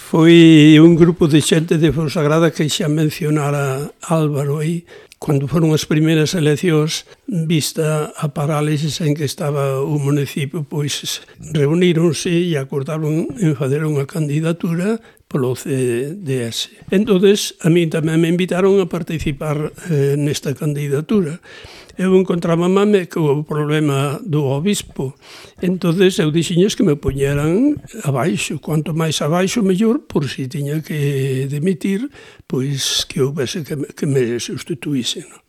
Foi un grupo de xente de Fonsagrada que xa mencionara Álvaro aí, cando foron as primeiras eleccións, vista a parálisis en que estaba o municipio, pois reuníronse e acordaron en fazer unha candidatura polo CDS. Entonces, a mí tamén me invitaron a participar nesta candidatura. Eu encontrábame co problema do obispo. Entonces, eu dixiñes que me poñeran abaixo. Quanto máis abaixo, mellor, por si tiña que dimitir, pois que houbese que me sustituísen.